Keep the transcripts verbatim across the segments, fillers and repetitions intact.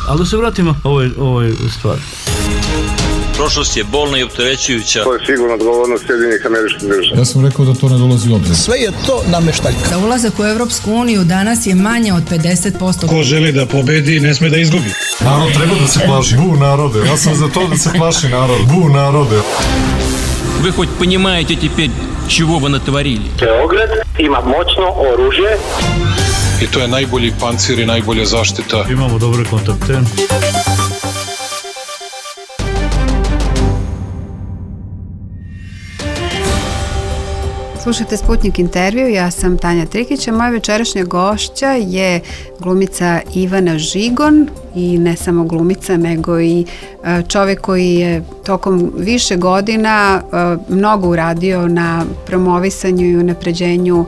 Ali da se vratimo ovoj, ovoj stvari. Prošlost je bolna i opterećujuća. To je sigurno odgovornost Sjedinjenih Američkih Država. Ja sam rekao da to ne dolazi u obzir. Sve je to nameštaljka. Za ulazak u Evropsku uniju danas je manje od pedeset posto. Ko želi da pobedi, ne sme da izgubi. Narod treba da se plaši. Bu narode. Ja sam za to da se plaši narod. Bu narode. Вы хоть понимаете теперь, чего вы натворили? Beograd ima moćno oružje. I to je najbolji pancir i najbolja zaštita. Imamo dobre kontakte. Slušajte Sputnik intervju, ja sam Tanja Trikić, a moja večerašnja gošća je glumica Ivana Žigon i ne samo glumica, nego i čovjek koji je tokom više godina mnogo uradio na promovisanju i unapređenju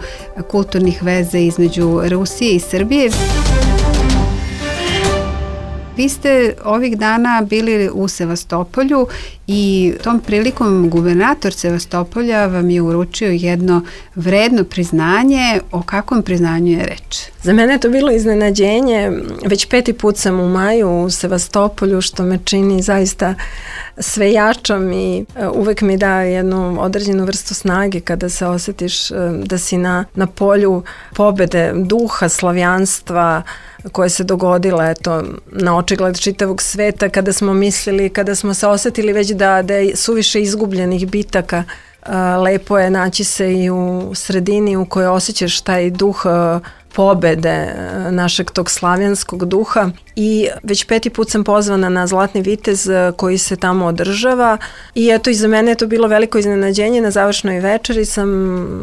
kulturnih veza između Rusije i Srbije. Vi ste ovih dana bili u Sevastopolju i tom prilikom gubernator Sevastopolja vam je uručio jedno vredno priznanje. O kakvom priznanju je reč? Za mene je to bilo iznenađenje. Već peti put sam u maju u Sevastopolju, što me čini zaista sve jačom i uvek mi daje jednu određenu vrstu snage kada se osjetiš da si na, na polju pobede, duha, slavijanstva koje se dogodila eto, na očigled čitavog sveta, kada smo mislili, kada smo se osjetili već da, da je suviše izgubljenih bitaka. Lepo je naći se i u sredini u kojoj osjećaš taj duh pobede našeg tog slavijanskog duha i već peti put sam pozvana na Zlatni vitez koji se tamo održava i eto i za mene je to bilo veliko iznenađenje. Na završnoj večeri sam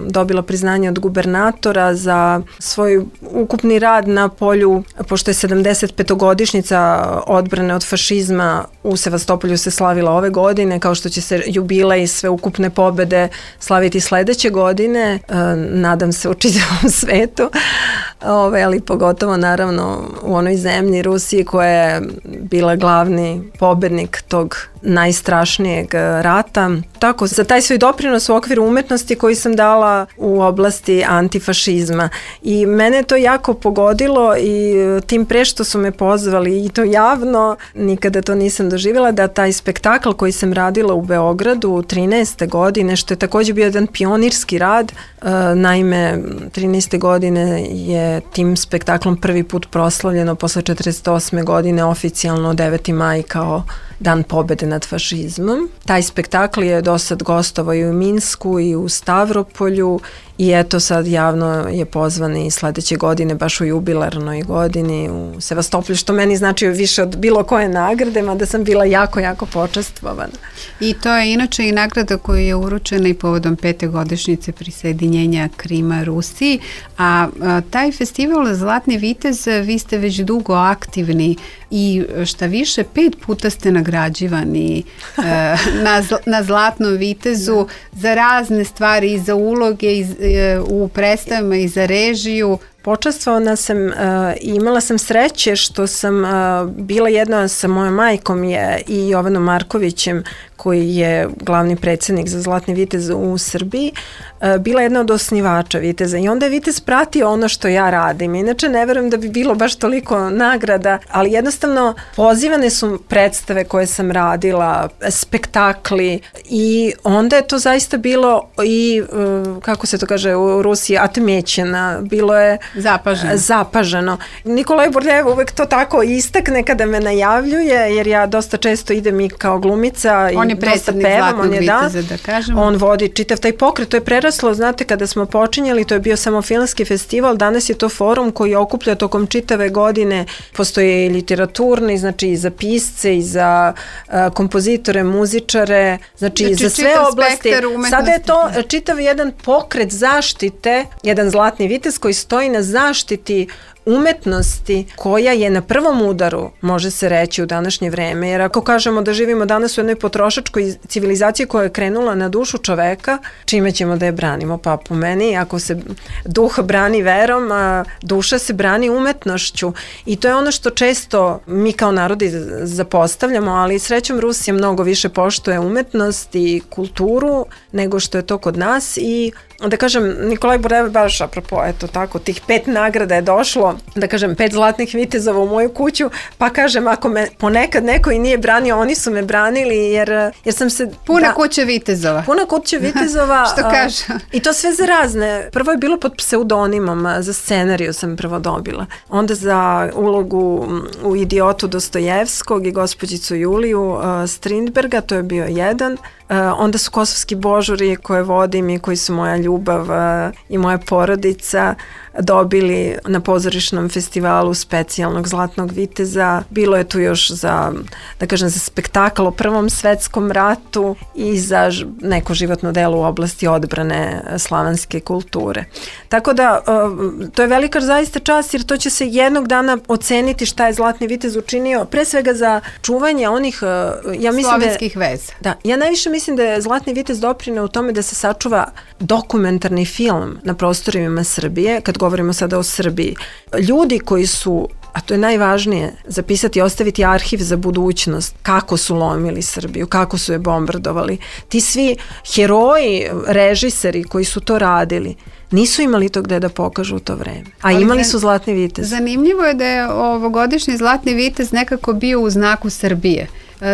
dobila priznanje od gubernatora za svoj ukupni rad na polju, pošto je sedamdeset petogodišnjica odbrane od fašizma u Sevastopolju se slavila ove godine, kao što će se jubilej sve ukupne pobede slaviti sledeće godine, nadam se u čitavom svetu. Ove, ali pogotovo naravno u onoj zemlji Rusiji koja je bila glavni pobednik tog najstrašnijeg rata. Tako, za taj svoj doprinos u okviru umetnosti koji sam dala u oblasti antifašizma. I mene to jako pogodilo i tim pre što su me pozvali i to javno, nikada to nisam doživjela, da taj spektakl koji sam radila u Beogradu trinaeste godine, što je također bio jedan pionirski rad, naime trinaeste godine je tim spektaklom prvi put proslavljeno posle četrdeset osme godine oficijalno deveti maj kao Dan pobede nad fašizmom. Taj spektakl je do sad gostovao i u Minsku i u Stavropolju i eto sad javno je pozvan i sledeće godine, baš u jubilarnoj godini u Sevastopolju, što meni znači više od bilo koje nagrade, mada sam bila jako, jako počastvovana. I to je inače i nagrada koja je uručena i povodom pete godišnjice prisjedinjenja Krima Rusiji, a, a taj festival Zlatni vitez, vi ste već dugo aktivni i šta više, pet puta ste nagrađivani e, na, na Zlatnom vitezu za razne stvari, i za uloge i, e, u predstavama i za režiju. Počastvovana sam uh, i imala sam sreće što sam uh, bila jedna sa mojom majkom je i Jovanom Markovićem, koji je glavni predsjednik za Zlatni vitez u Srbiji, uh, bila jedna od osnivača viteza i onda je vitez pratio ono što ja radim. Inače ne verujem da bi bilo baš toliko nagrada, ali jednostavno pozivane su predstave koje sam radila, spektakli i onda je to zaista bilo i, uh, kako se to kaže u Rusiji, atmećena, bilo je Zapaženo. Zapaženo. Nikolaj Borljev uvek to tako istakne kada me najavljuje, jer ja dosta često idem i kao glumica. On i je predstavnik Zlatnog viteza, da kažemo. On vodi čitav taj pokret. To je preraslo, znate, kada smo počinjali, to je bio samo filmski festival, danas je to forum koji okuplja tokom čitave godine. Postoje i literaturni, znači i za pisce, i za uh, kompozitore, muzičare, znači, znači i za sve oblasti. Sada je to čitav jedan pokret zaštite, jedan Zlatni vitez koji stoji na zaštiti umetnosti koja je na prvom udaru, može se reći, u današnje vreme. Jer ako kažemo da živimo danas u jednoj potrošačkoj civilizaciji koja je krenula na dušu čoveka, čime ćemo da je branimo? Pa po meni, ako se duh brani verom, a duša se brani umetnošću. I to je ono što često mi kao narodi zapostavljamo, ali srećom Rusija mnogo više poštuje umetnost i kulturu nego što je to kod nas i da kažem, Nikolaj Bordel baš apropo, eto tako, tih pet nagrada je došlo, da kažem, pet zlatnih vitezova u moju kuću, pa kažem, ako me ponekad neko i nije branio, oni su me branili, jer, jer sam se... Puna da, kuća vitezova. Puna kuća vitezova. Što kaže? I to sve za razne. Prvo je bilo pod pseudonimom, za scenariju sam prvo dobila. Onda za ulogu u Idiotu Dostojevskog i gospođicu Juliju uh, Strindberga, to je bio jedan. Uh, onda su Kosovski božuri koje vodim i koji su moja ljubav uh, i moja porodica dobili na pozorišnom festivalu specijalnog Zlatnog viteza. Bilo je tu još za, da kažem, za spektakl o Prvom svetskom ratu i za neko životno delo u oblasti odbrane slavanske kulture. Tako da, uh, to je velika zaista čast, jer to će se jednog dana oceniti šta je Zlatni vitez učinio, pre svega za čuvanje onih, uh, ja mislim slovenskih da, veza. Da, ja najviše mislim da je Zlatni vitez doprineo u tome da se sačuva dokumentarni film na prostorima Srbije, kad govorimo sada o Srbiji. Ljudi koji su, a to je najvažnije, zapisati i ostaviti arhiv za budućnost, kako su lomili Srbiju, kako su je bombardovali. Ti svi heroji, režiseri koji su to radili, nisu imali to gde da pokažu u to vreme. A ali imali su Zlatni vitez. Zanimljivo je da je ovogodišnji Zlatni vitez nekako bio u znaku Srbije.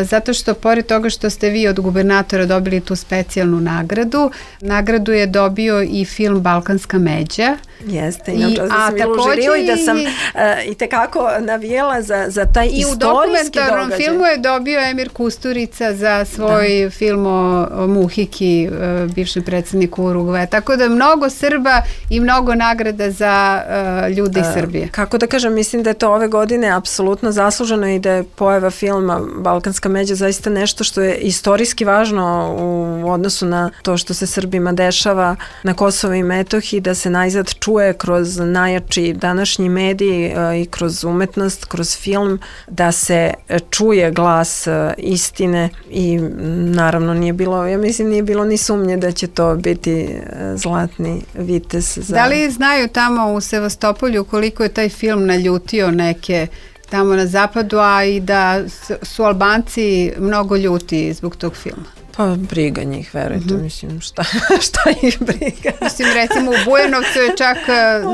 Zato što pored toga što ste vi od gubernatora dobili tu specijalnu nagradu, nagradu je dobio i film Balkanska međa. Jeste, inače da sam bila u žiriju i da sam uh, i tekako navijela za, za taj i istorijski događaj. I u dokumentarnom filmu je dobio Emir Kusturica za svoj da. film o, o Muhiki, uh, bivšem predsjedniku Urugvaja. Tako da mnogo Srba i mnogo nagrada za uh, ljudi uh, Srbije. Kako da kažem, mislim da je to ove godine apsolutno zasluženo i da je pojava filma Balkanska međa zaista nešto što je istorijski važno u odnosu na to što se Srbima dešava na Kosovu i Metohiji, da se najzad čuje kroz najjači današnji mediji i kroz umetnost, kroz film, da se čuje glas istine i naravno nije bilo, ja mislim nije bilo ni sumnje da će to biti Zlatni vitez. Za... Da li znaju tamo u Sevastopolju koliko je taj film naljutio neke tamo na zapadu, a i da su Albanci mnogo ljuti zbog tog filma? Pa briga njih, verujte, mm-hmm. mislim, šta, šta ih briga. Mislim, recimo u Bujanovcu je čak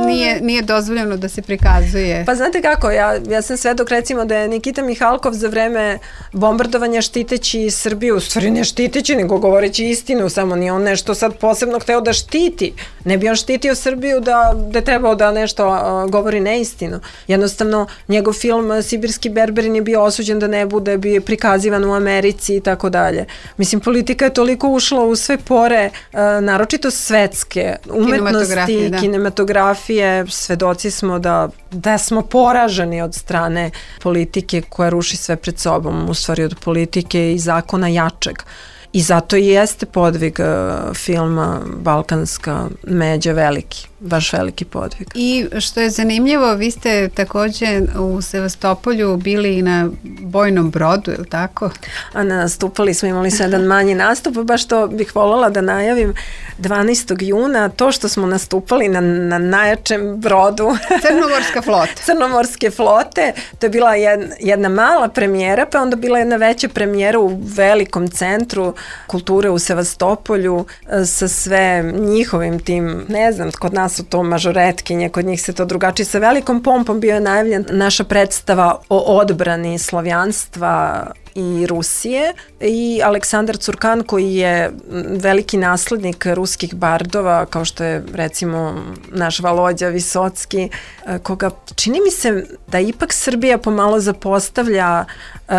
nije, nije dozvoljeno da se prikazuje. Pa znate kako, ja, ja sam svedok recimo da je Nikita Mihalkov za vreme bombardovanja štiteći Srbiju, u stvari ne štiteći, nego govoreći istinu, samo nije on nešto sad posebno hteo da štiti. Ne bi on štitio Srbiju da, da je trebao da nešto uh, govori neistinu. Jednostavno, njegov film Sibirski berberin je bio osuđen da ne bude, bio prikazivan u Americi i tako dalje. Mislim, politika je toliko ušla u sve pore, uh, naročito svetske, umetnosti, da. kinematografije, svedoci smo da, da smo poraženi od strane politike koja ruši sve pred sobom, u stvari od politike i zakona jačeg. I zato i jeste podvig uh, filma Balkanska međa veliki, baš veliki podvig. I što je zanimljivo, vi ste takođe u Sevastopolju bili i na bojnom brodu, je li tako? A nastupali smo, imali smo jedan manji nastup, baš to bih voljela da najavim dvanaestog juna, to što smo nastupali na, na najjačem brodu Crnomorska flota. Crnomorske flote, to je bila jedna, jedna mala premijera, pa onda bila jedna veća premijera u velikom centru kulture u Sevastopolju sa sve njihovim tim, ne znam, kod nas su to mažoretkinje, kod njih se to drugačije, sa velikom pompom bio je najavljen naša predstava o odbrani slavjanstva i Rusije i Aleksandar Curkan koji je veliki naslednik ruskih bardova, kao što je recimo naš Valodja Visocki, koga čini mi se da ipak Srbija pomalo zapostavlja um,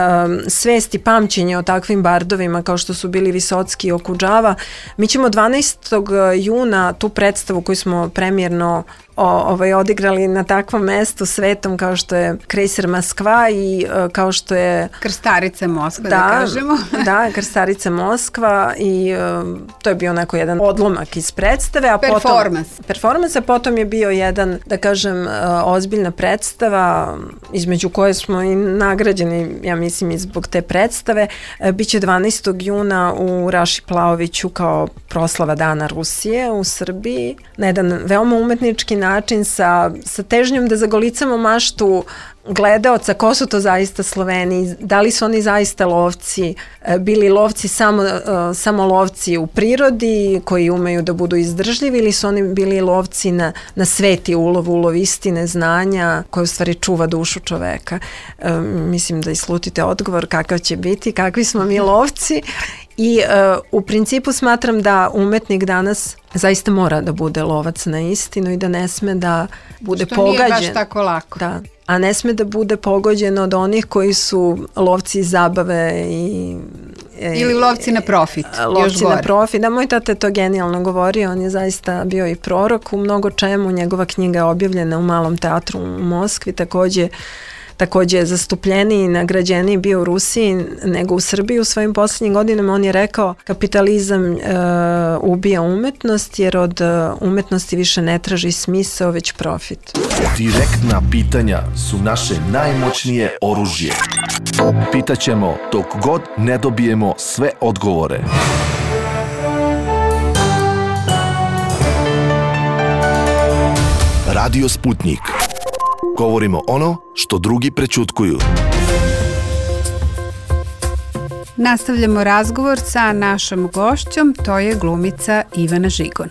svest i pamćenje o takvim bardovima kao što su bili Visocki i Okudžava. Mi ćemo dvanaestog juna tu predstavu koju smo premijerno O, ovaj, odigrali na takvom mestu svetom kao što je Krejser Moskva i uh, kao što je Krstarica Moskva, da, da kažemo. Da, Krstarica Moskva i uh, to je bio neko jedan odlomak iz predstave. A performans. Potom, performans, a potom je bio jedan, da kažem, uh, ozbiljna predstava između koje smo i nagrađeni, ja mislim, i zbog te predstave. Uh, biće dvanaestog juna u Raši Plaoviću kao proslava Dana Rusije u Srbiji na jedan veoma umetnički način sa, sa težnjom da zagolicamo maštu gledaoca ko su to zaista Sloveni, da li su oni zaista lovci, bili lovci samo, samo lovci u prirodi koji umeju da budu izdržljivi ili su oni bili lovci na, na sveti ulov, ulov istine, znanja koji u stvari čuva dušu čoveka. E, mislim da islutite odgovor kakav će biti, kakvi smo mi lovci. I uh, u principu smatram da umetnik danas zaista mora da bude lovac na istinu i da ne sme da bude što pogađen. Što nije baš tako lako. Da, a ne sme da bude pogođen od onih koji su lovci iz zabave i... Ili lovci na profit. Lovci na profit. Da, moj tata je to genijalno govorio, on je zaista bio i prorok u mnogo čemu, njegova knjiga je objavljena u Malom teatru u Moskvi, takođe takođe je zastupljeniji i nagrađeniji bio u Rusiji nego u Srbiji u svojim posljednjim godinama. On je rekao kapitalizam e, ubija umetnost jer od umetnosti više ne traži smisao već profit. Direktna pitanja su naše najmoćnije oružje. Pitaćemo dok god ne dobijemo sve odgovore. Radio Sputnik. Govorimo ono što drugi prećutkuju. Nastavljamo razgovor sa našom gošćom, to je glumica Ivana Žigon.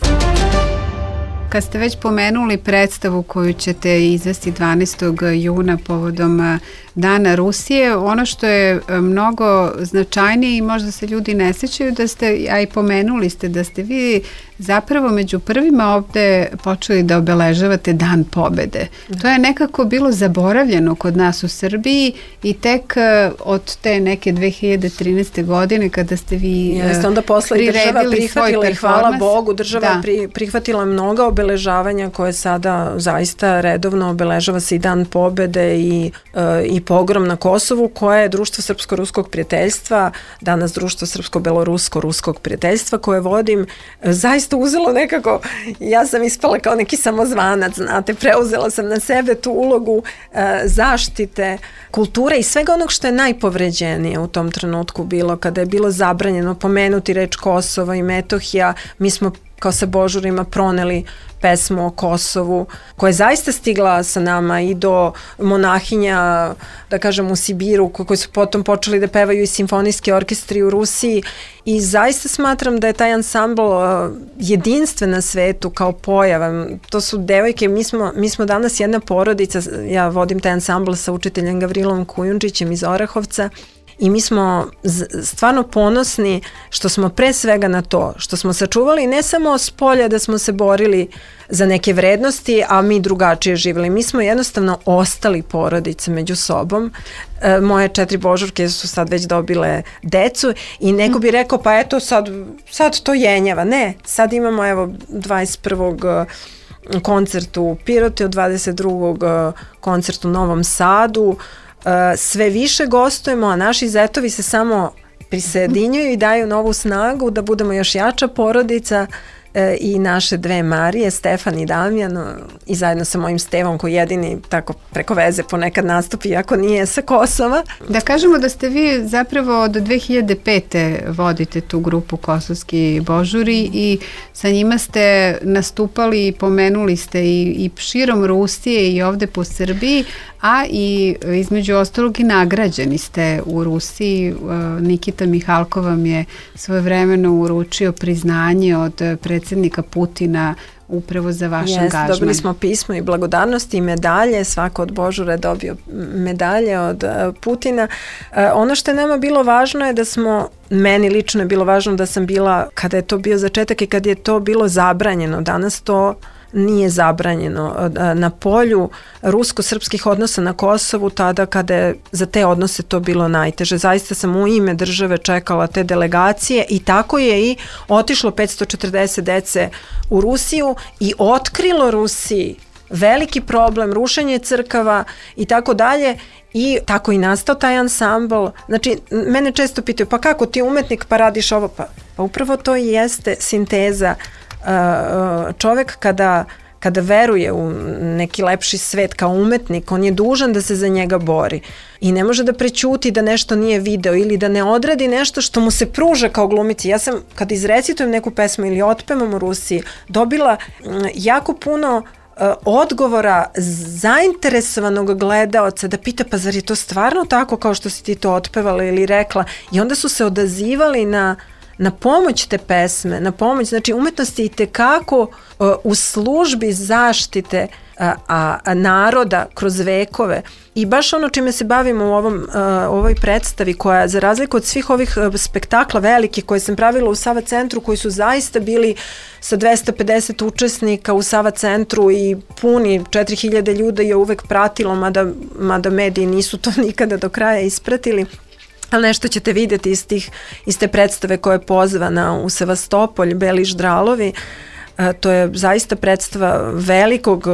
Kad ste već pomenuli predstavu koju ćete izvesti dvanaestog juna povodom Dana Rusije, ono što je mnogo značajnije i možda se ljudi ne sećaju da ste, a i pomenuli ste da ste vi zapravo među prvima ovde počeli da obeležavate Dan pobede. To je nekako bilo zaboravljeno kod nas u Srbiji i tek od te neke dve hiljade trinaeste. godine kada ste vi Jeste, onda posle i država prihvatila i hvala Bogu, država da. pri, prihvatila mnoga obeležavanja koje sada zaista redovno obeležava se i Dan pobede i, i pogrom na Kosovu koje je Društvo Srpsko-Ruskog prijateljstva, danas Društvo Srpsko-Belorusko-Ruskog prijateljstva koje vodim, zaista uzelo nekako, ja sam ispala kao neki samozvanac, znate, preuzela sam na sebe tu ulogu e, zaštite kulture i svega onog što je najpovređenije u tom trenutku bilo, kada je bilo zabranjeno pomenuti reč Kosovo i Metohija, mi smo kao sa Božurima proneli pesmu o Kosovu, koja je zaista stigla sa nama i do monahinja, da kažem, u Sibiru, koji su potom počeli da pevaju i simfonijski orkestri u Rusiji i zaista smatram da je taj ansambl jedinstven na svetu kao pojava. To su devojke, mi smo, mi smo danas jedna porodica, ja vodim taj ansambl sa učiteljem Gavrilom Kujundžićem iz Orahovca. I mi smo stvarno ponosni što smo pre svega na to, što smo sačuvali ne samo s polja da smo se borili za neke vrednosti, a mi drugačije živjeli. Mi smo jednostavno ostali porodice među sobom. E, moje četiri božurke su sad već dobile decu i neko bi rekao pa eto sad, sad to jenjava. Ne, sad imamo evo dvadeset prvog koncert u Piroti, od dvadeset drugog koncert u Novom Sadu. Sve više gostujemo, a naši zetovi se samo prisajedinjuju i daju novu snagu da budemo još jača porodica i naše dve Marije, Stefan i Damjan i zajedno sa mojim Stevom koji jedini tako preko veze ponekad nastupi iako nije sa Kosova. Da kažemo da ste vi zapravo od dve hiljade pete. vodite tu grupu Kosovski Božuri i sa njima ste nastupali i pomenuli ste i, i širom Rusije i ovde po Srbiji, a i između ostalog i nagrađeni ste u Rusiji. Nikita Mihalkov vam je svojevremeno uručio priznanje od predsjednika Putina upravo za vaš Jeste, angažman. Dobili smo pismo i благодарnosti i medalje, svako od Božura je dobio medalje od uh, Putina. Uh, ono što je nama bilo važno je da smo, meni lično je bilo važno da sam bila, kada je to bio začetak i kad je to bilo zabranjeno, danas to nije zabranjeno. Na polju rusko-srpskih odnosa na Kosovu, tada kada je za te odnose to bilo najteže. Zaista sam u ime države čekala te delegacije i tako je i otišlo petsto četrdeset dece u Rusiju i otkrilo Rusiji veliki problem, rušenje crkava i tako dalje. I tako i nastao taj ansambl. Znači, mene često pitaju, pa kako ti umetnik pa radiš ovo? Pa, pa upravo to i jeste sinteza. Čovek kada, kada veruje u neki lepši svet kao umetnik, on je dužan da se za njega bori i ne može da prećuti da nešto nije video ili da ne odradi nešto što mu se pruža kao glumici. Ja sam, kada izrecitujem neku pesmu ili otpevam u Rusiji, dobila jako puno odgovora zainteresovanog gledaoca da pita pa zar je to stvarno tako kao što si ti to otpevala ili rekla, i onda su se odazivali na na pomoć te pesme, na pomoć, znači umetnost je i tekako uh, u službi zaštite uh, a, a naroda kroz vekove, i baš ono čime se bavimo u ovom, uh, ovoj predstavi, koja za razliku od svih ovih uh, spektakla velikih koje sam pravila u Sava centru, koji su zaista bili sa dvesta pedeset učesnika u Sava centru i puni četiri hiljade ljudi je uvek pratilo, mada, mada mediji nisu to nikada do kraja ispratili. Ali nešto ćete vidjeti iz, tih, iz te predstave koja je pozvana u Sevastopolj, Beli ždralovi. E, to je zaista predstava velikog,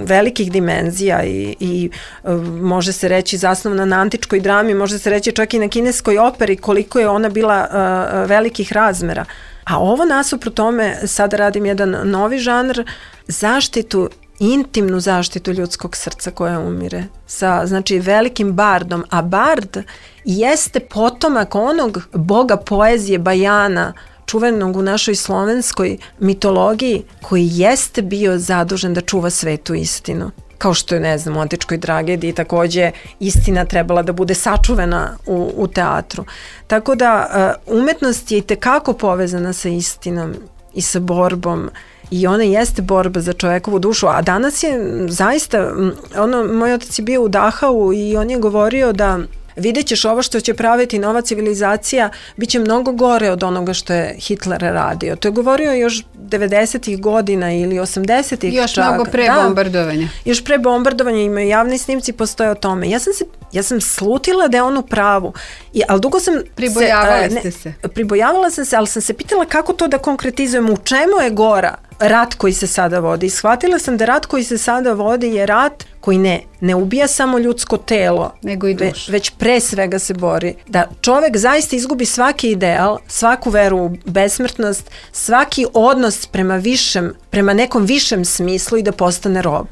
velikih dimenzija i, i e, može se reći zasnovana na antičkoj drami, može se reći čak i na kineskoj operi, koliko je ona bila e, velikih razmera. A ovo nasuprot tome, sada radim jedan novi žanr, zaštitu, intimnu zaštitu ljudskog srca koja umire, sa znači velikim bardom, a bard jeste potomak onog boga poezije Bajana, čuvenog u našoj slovenskoj mitologiji, koji jeste bio zadužen da čuva svetu istinu. Kao što je, ne znam, u antičkoj tragediji takođe istina trebala da bude sačuvena u, u teatru. Tako da umetnost je i tekako povezana sa istinom i sa borbom, i ona jeste borba za čovekovu dušu, a danas je zaista, ono, moj otac je bio u Dachau i on je govorio da vidjet ćeš ovo što će praviti nova civilizacija, bit će mnogo gore od onoga što je Hitler radio. To je govorio još devedesetih godina ili osamdesetih Još čak. mnogo pre da, bombardovanja. Još pre bombardovanja, imaju javni snimci, postoje o tome. Ja sam se Ja sam slutila da je on u pravu. I, ali dugo sam Pribojavali se, ste ne, se. Pribojavala sam se, ali sam se pitala kako to da konkretizujem, u čemu je gora rat koji se sada vodi. I shvatila sam da rat koji se sada vodi je rat koji ne, ne ubija samo ljudsko telo, nego i dušu. Već, već pre svega se bori. Da čovek zaista izgubi svaki ideal, svaku veru u besmrtnost, svaki odnos prema višem, prema nekom višem smislu i da postane rob.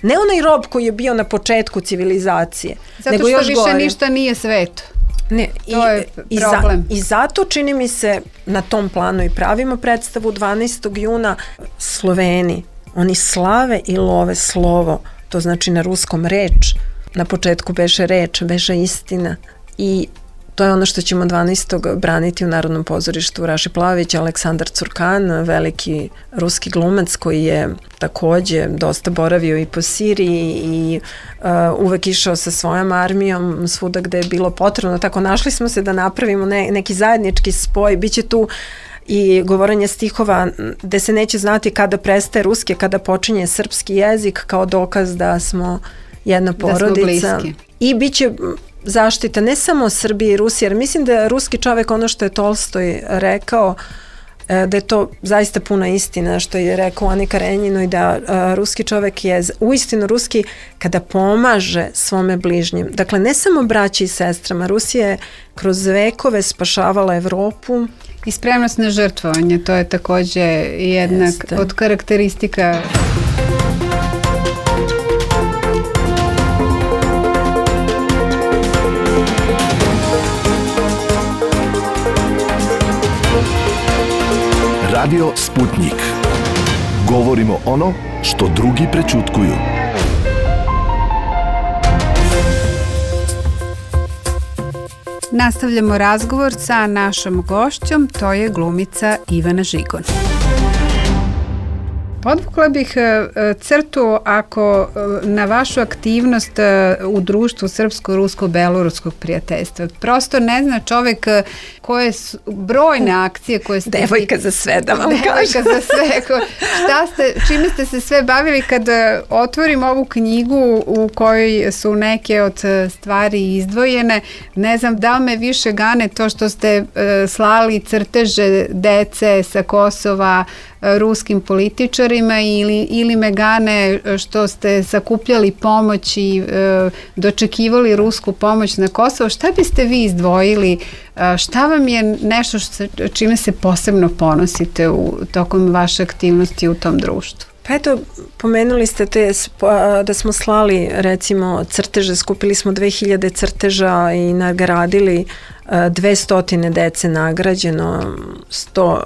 Ne onaj rob koji je bio na početku civilizacije, zato nego što još više gore. ništa nije sveto. Ne, to i, je i, problem. za, I zato čini mi se na tom planu i pravimo predstavu dvanaestog juna. Sloveni, oni slave i love slovo, to znači na ruskom reč, na početku beše reč, beše istina, i to je ono što ćemo dvanaestog braniti u Narodnom pozorištu. Raši Plavić, Aleksandar Curkan, veliki ruski glumac koji je takođe dosta boravio i po Siriji i uh, uvek išao sa svojom armijom svuda gde je bilo potrebno. Tako našli smo se da napravimo ne, neki zajednički spoj. Biće tu i govorenje stihova gde se neće znati kada prestaje ruski, kada počinje srpski jezik, kao dokaz da smo jedna porodica. Da I bit će zaštita ne samo Srbije i Rusije, jer mislim da je ruski čovek, ono što je Tolstoj rekao, da je to zaista puna istina što je rekao Ani Karenjinoj, da a, ruski čovek je uistinu ruski kada pomaže svome bližnjem. Dakle, ne samo braći i sestrama, Rusija je kroz vekove spašavala Evropu. I spremnost na žrtvovanje, to je takođe jedna Jeste. od karakteristika. Radio Sputnik. Govorimo ono što drugi prećutkuju. Nastavljamo razgovor sa našom gošćom, to je glumica Ivana Žigon. Podvukla bih crtu ako na vašu aktivnost u društvu srpsko-rusko-beloruskog prijateljstva. Prosto ne zna čovek koje su brojne akcije koje ste... Devojka za sve, da vam Devojka kažem. za sve. Šta ste, čime ste se sve bavili kad otvorim ovu knjigu u kojoj su neke od stvari izdvojene? Ne znam da li me više gane to što ste slali crteže dece sa Kosova ruskim političarima ili, ili me gane što ste sakupljali pomoć i e, dočekivali rusku pomoć na Kosovo. Šta biste vi izdvojili? E, šta vam je nešto što, čime se posebno ponosite u tokom vaše aktivnosti u tom društvu? Pa eto, pomenuli ste te, da smo slali recimo crteže, skupili smo dve hiljade crteža i nagradili dve stotine dece nagrađeno, sto,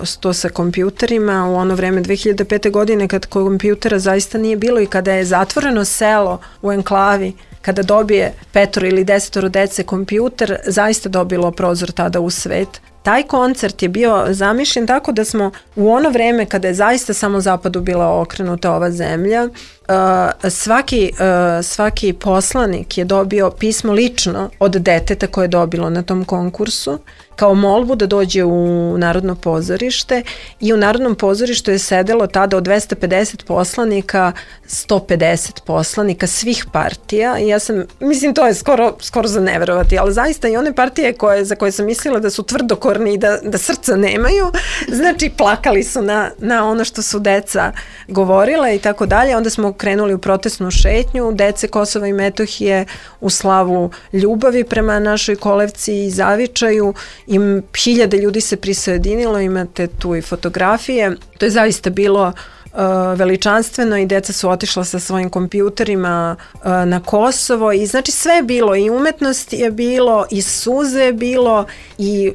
sto sa kompjuterima. U ono vreme dve hiljade pete. godine kad kompjutera zaista nije bilo i kada je zatvoreno selo u enklavi, kada dobije petoro ili desetoro dece kompjuter, zaista dobilo prozor tada u svet. Taj koncert je bio zamišljen tako da smo u ono vreme kada je zaista samo zapadu bila okrenuta ova zemlja, uh, svaki, uh, svaki poslanik je dobio pismo lično od deteta koje je dobilo na tom konkursu kao molbu da dođe u Narodno pozorište i u Narodnom pozorištu je sedelo tada od dvesta pedeset poslanika, sto pedeset poslanika svih partija i ja sam, mislim to je skoro, skoro za neverovati, ali zaista i one partije koje, za koje sam mislila da su tvrdokorni i da, da srca nemaju, znači plakali su na, na ono što su deca govorile i tako dalje. Onda smo krenuli u protestnu šetnju dece Kosova i Metohije u slavu ljubavi prema našoj kolevci i zavičaju i hiljade ljudi se prisajedinilo, imate tu i fotografije. To je zaista bilo uh, veličanstveno i deca su otišla sa svojim kompjuterima uh, na Kosovo i znači sve je bilo i umetnost je bilo i suze je bilo i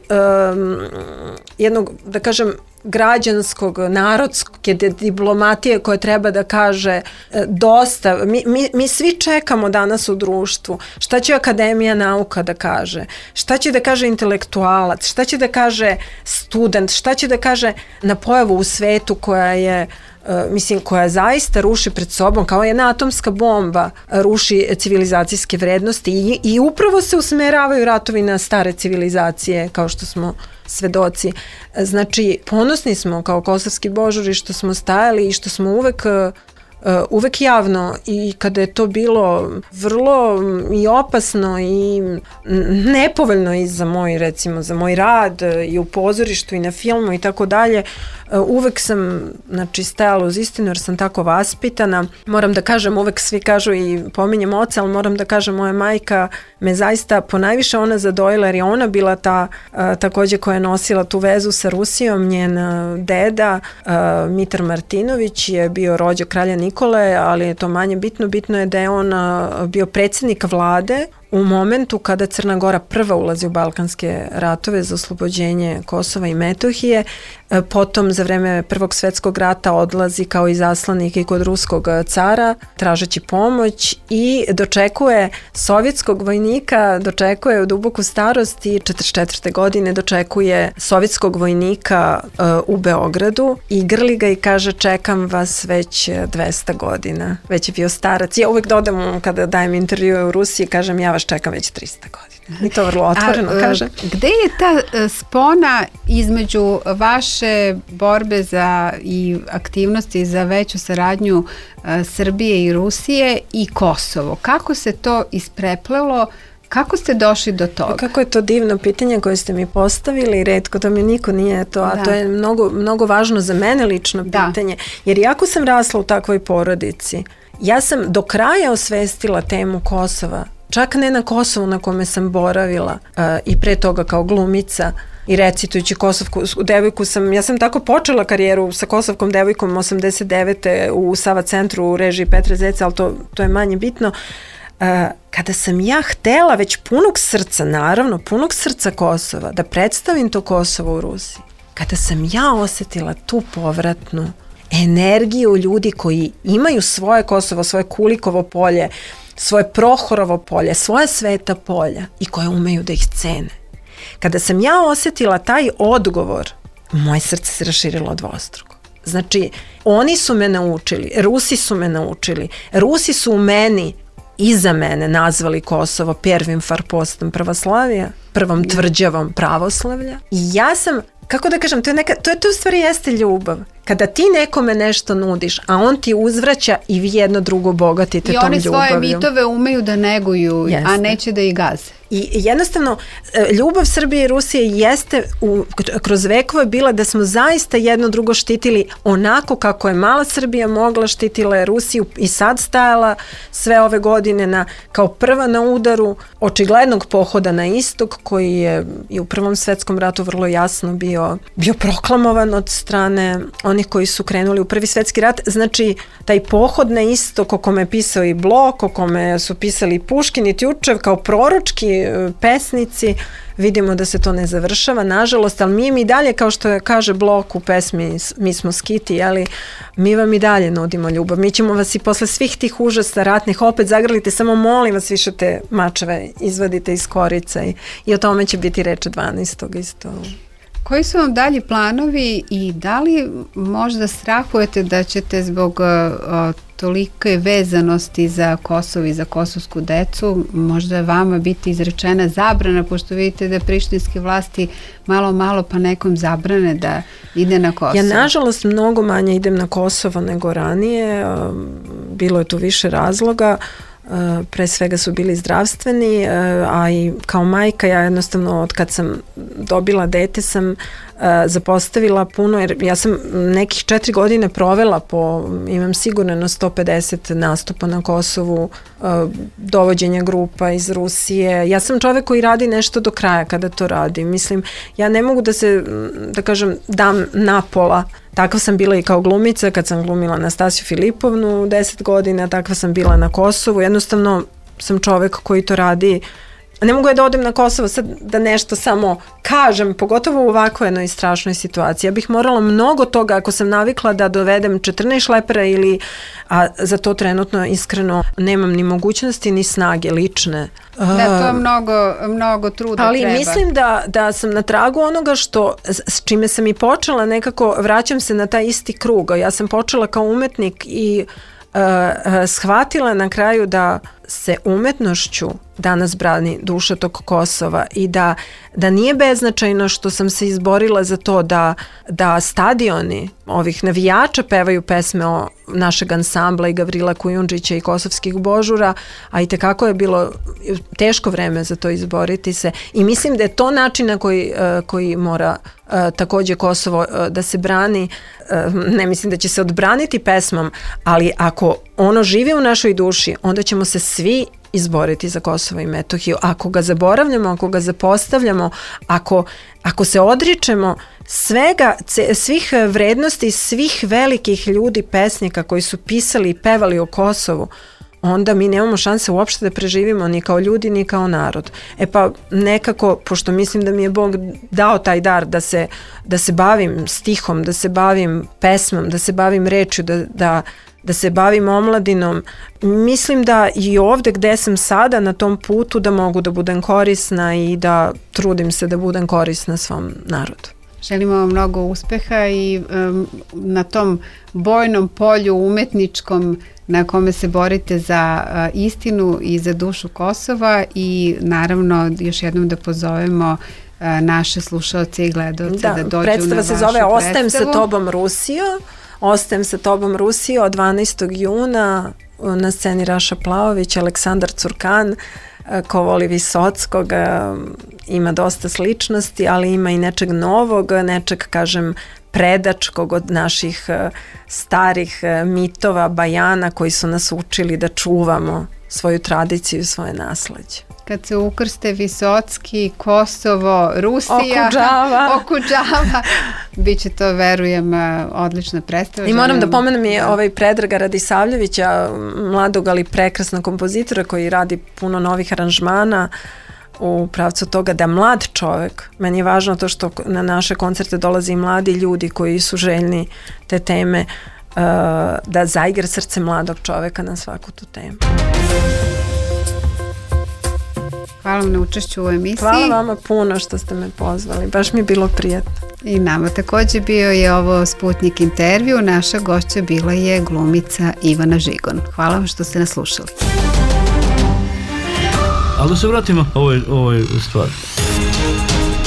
um, jednog, da kažem, građanskog, narodske diplomatije koja treba da kaže dosta. Mi, mi, mi svi čekamo danas u društvu šta će Akademija nauka da kaže, šta će da kaže intelektualac, šta će da kaže student, šta će da kaže na pojavu u svetu koja je Uh, mislim, koja zaista ruši pred sobom, kao jedna atomska bomba, ruši civilizacijske vrednosti i, i upravo se usmeravaju ratovi na stare civilizacije, kao što smo svedoci. Znači, ponosni smo kao kosovski božuri što smo stajali i što smo uvek Uh, uvek javno i kada je to bilo vrlo i opasno i nepovoljno i za moj, recimo, za moj rad i u pozorištu i na filmu i tako dalje, uvek sam, znači, stajala uz istinu jer sam tako vaspitana. Moram da kažem, uvek svi kažu i pominjem oca, ali moram da kažem, moja majka me zaista ponajviše ona zadojila jer je ona bila ta uh, takođe koja je nosila tu vezu sa Rusijom. Njen uh, deda uh, Mitar Martinović je bio rođak kralja Nikole, ali je to manje bitno. Bitno je da je on uh, bio predsjednik vlade u momentu kada Crna Gora prva ulazi u balkanske ratove za oslobođenje Kosova i Metohije, potom za vreme Prvog svetskog rata odlazi kao izaslanik i kod ruskog cara tražeći pomoć i dočekuje sovjetskog vojnika, dočekuje u duboku starost i četrdeset četvrte. godine dočekuje sovjetskog vojnika uh, u Beogradu i grli ga i kaže čekam vas već dvesta godina. Već je bio starac. Ja uvek dodam kada dajem intervjue u Rusiji, kažem ja vas čekam već trista godina. I to vrlo otvoreno A, kaže. Gde je ta spona između vaše borbe za i aktivnosti za veću saradnju a, Srbije i Rusije i Kosovo? Kako se to ispreplelo? Kako ste došli do toga? Kako je to divno pitanje koje ste mi postavili, retko da mi niko nije to, a da. To je mnogo, mnogo važno za mene lično pitanje, da. Jer iako sam rasla u takvoj porodici, ja sam do kraja osvestila temu Kosova, čak ne na Kosovu na kome sam boravila uh, i pre toga kao glumica i recitujući kosovku devojku sam, ja sam tako počela karijeru sa kosovkom devojkom osamdeset devete u Sava centru u režiji Petra Zeca, ali to, to je manje bitno. Uh, kada sam ja htela već punog srca, naravno punog srca Kosova, da predstavim to Kosovo u Rusiji, kada sam ja osetila tu povratnu energiju ljudi koji imaju svoje Kosovo, svoje Kulikovo polje, svoje Prohorovo polje, svoje sveta polja i koje umeju da ih cene. Kada sam ja osetila taj odgovor, moje srce se raširilo dvostruko. Znači, oni su me naučili, Rusi su me naučili, Rusi su u meni iza mene nazvali Kosovo prvim farpostom pravoslavija, prvom tvrđavom pravoslavlja. I ja sam, kako da kažem, to je, neka, to je to u stvari jeste ljubav. Kada ti nekome nešto nudiš, a on ti uzvraća i vi jedno drugo bogatite tom ljubavljom. I oni svoje mitove umeju da neguju, jeste. A neće da ih gaze. I jednostavno, ljubav Srbije i Rusije jeste u, kroz vekove bila da smo zaista jedno drugo štitili onako kako je mala Srbija mogla, štitila je Rusiju i sad stajala sve ove godine na, kao prva na udaru očiglednog pohoda na istok koji je i u Prvom svetskom ratu vrlo jasno bio, bio proklamovan od strane onih koji su krenuli u Prvi svetski rat. Znači, taj pohod na istok o kome je pisao i Blok, o kome su pisali i Puškin i Tjučev kao proročki pesnici, vidimo da se to ne završava, nažalost, ali mi im i dalje, kao što kaže Blok u pesmi Mi smo skiti, jeli, mi vam i dalje nudimo ljubav. Mi ćemo vas i posle svih tih užasa ratnih opet zagrlite, samo molim vas više te mačeve izvadite iz korica i, i o tome će biti reče dvanaestog isto. Koji su vam dalji planovi i da li možda strahujete da ćete zbog uh, tolike vezanosti za Kosovo i za kosovsku decu možda vama biti izrečena zabrana, pošto vidite da prištinske vlasti malo malo pa nekom zabrane da ide na Kosovo? Ja nažalost mnogo manje idem na Kosovo nego ranije, bilo je tu više razloga. Pre svega su bili zdravstveni, a i kao majka ja jednostavno od kad sam dobila dete sam zapostavila puno, jer ja sam nekih četiri godine provela po, imam sigurno na sto pedeset nastupa na Kosovu, dovođenja grupa iz Rusije. Ja sam čovek koji radi nešto do kraja kada to radi. Mislim, ja ne mogu da se, da kažem, dam napola. Takva sam bila i kao glumica kad sam glumila Nastasiju Filipovnu deset godina, takva sam bila na Kosovu. Jednostavno sam čovek koji to radi. Ne mogu ja da odem na Kosovo sad da nešto samo kažem, pogotovo u ovakvoj jednoj strašnoj situaciji. Ja bih morala mnogo toga, ako sam navikla da dovedem četrnaest šlepera ili, a za to trenutno iskreno nemam ni mogućnosti ni snage lične. Da, to je mnogo, mnogo truda ali treba. Mislim da, da sam na tragu onoga što, s čime sam i počela, nekako vraćam se na taj isti krug. Ja sam počela kao umetnik i uh, uh, shvatila na kraju da se umetnošću danas brani duša tog Kosova i da, da nije beznačajno što sam se izborila za to da, da stadioni ovih navijača pevaju pesme o našeg ansambla i Gavrila Kujundžića i kosovskih božura, a i tekako je bilo teško vreme za to izboriti se i mislim da je to način na koji, koji mora takođe Kosovo da se brani. Ne mislim da će se odbraniti pesmom, ali ako ono živi u našoj duši, onda ćemo se svi izboriti za Kosovo i Metohiju. Ako ga zaboravljamo, ako ga zapostavljamo, ako, ako se odričemo svega, svih vrednosti, svih velikih ljudi, pesnika koji su pisali i pevali o Kosovu, onda mi nemamo šanse uopšte da preživimo ni kao ljudi, ni kao narod. E pa nekako, pošto mislim da mi je Bog dao taj dar da se, da se bavim stihom, da se bavim pesmom, da se bavim rečju, da, da da se bavim omladinom, mislim da i ovde gde sam sada na tom putu da mogu da budem korisna i da trudim se da budem korisna svom narodu. Želimo vam mnogo uspeha i um, na tom bojnom polju umetničkom na kome se borite za uh, istinu i za dušu Kosova i naravno još jednom da pozovemo uh, naše slušaoce i gledalce da, da dođu na vašu predstavu. Predstava se zove Ostajem sa tobom Rusijo. Ostajem sa tobom Rusijo od dvanaestog juna, na sceni Raša Plaović, Aleksandar Curkan, ko voli Visockog, ima dosta sličnosti, ali ima i nečeg novog, nečeg, kažem, predačkog od naših starih mitova, bajana koji su nas učili da čuvamo svoju tradiciju i svoje nasleđe. Kad se ukrste Visocki, Kosovo, Rusija, Okudžava, Okudžava, bit će to, verujem, odlična predstava. I moram da pomenem je ovaj Predraga Radisavljevića, mladog ali prekrasnog kompozitora koji radi puno novih aranžmana u pravcu toga da mlad čovek, meni je važno to što na naše koncerte dolazi mladi ljudi koji su željni te teme, da zaigra srce mladog čoveka na svaku tu temu. Hvala vam na učešću u emisiji. Hvala vama puno što ste me pozvali, baš mi je bilo prijatno. I nama takođe bio je ovo Sputnik intervju, naša gošća bila je glumica Ivana Žigon. Hvala vam što ste nas slušali. Ali da se vratimo ovoj, ovoj stvari.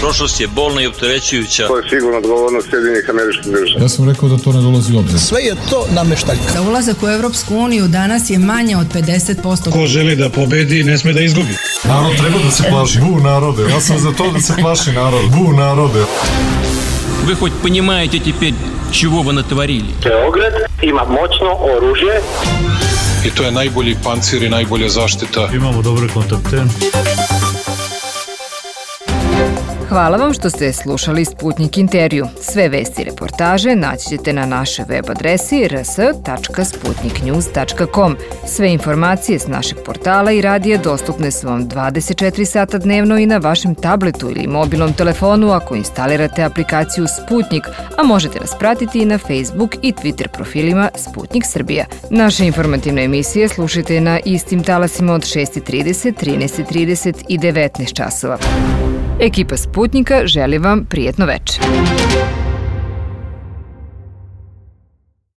Prošlost je bolna i opterećujuća. To je sigurno odgovornost Sjedinjenih Američkih Država. Ja sam rekao da to ne dolazi u obzir. Sve je to nameštaljka. Za ulazak u Evropsku uniju danas je manje od pedeset posto. Ko želi da pobedi, ne sme da izgubi. Narod treba da se plaši. Bu narode. Ja sam za to da se plaši narod. Bu narode. Вы хоть понимаете теперь, чего вы натворили? Beograd ima moćno oružje. I to je najbolji pancir i najbolja zaštita. Imamo dobre kontakte. Hvala vam što ste slušali Sputnik intervju. Sve vesti i reportaže naći ćete na našoj web adresi r s tačka sputnik news tačka com. Sve informacije s našeg portala i radija dostupne su vam dvadeset četiri sata dnevno i na vašem tabletu ili mobilnom telefonu ako instalirate aplikaciju Sputnik, a možete nas pratiti i na Facebook i Twitter profilima Sputnik Srbija. Naše informativne emisije slušajte na istim talasima od šest i trideset, trinaest i trideset i devetnaest časova. Ekipa Sputnika želi vam prijetno veče.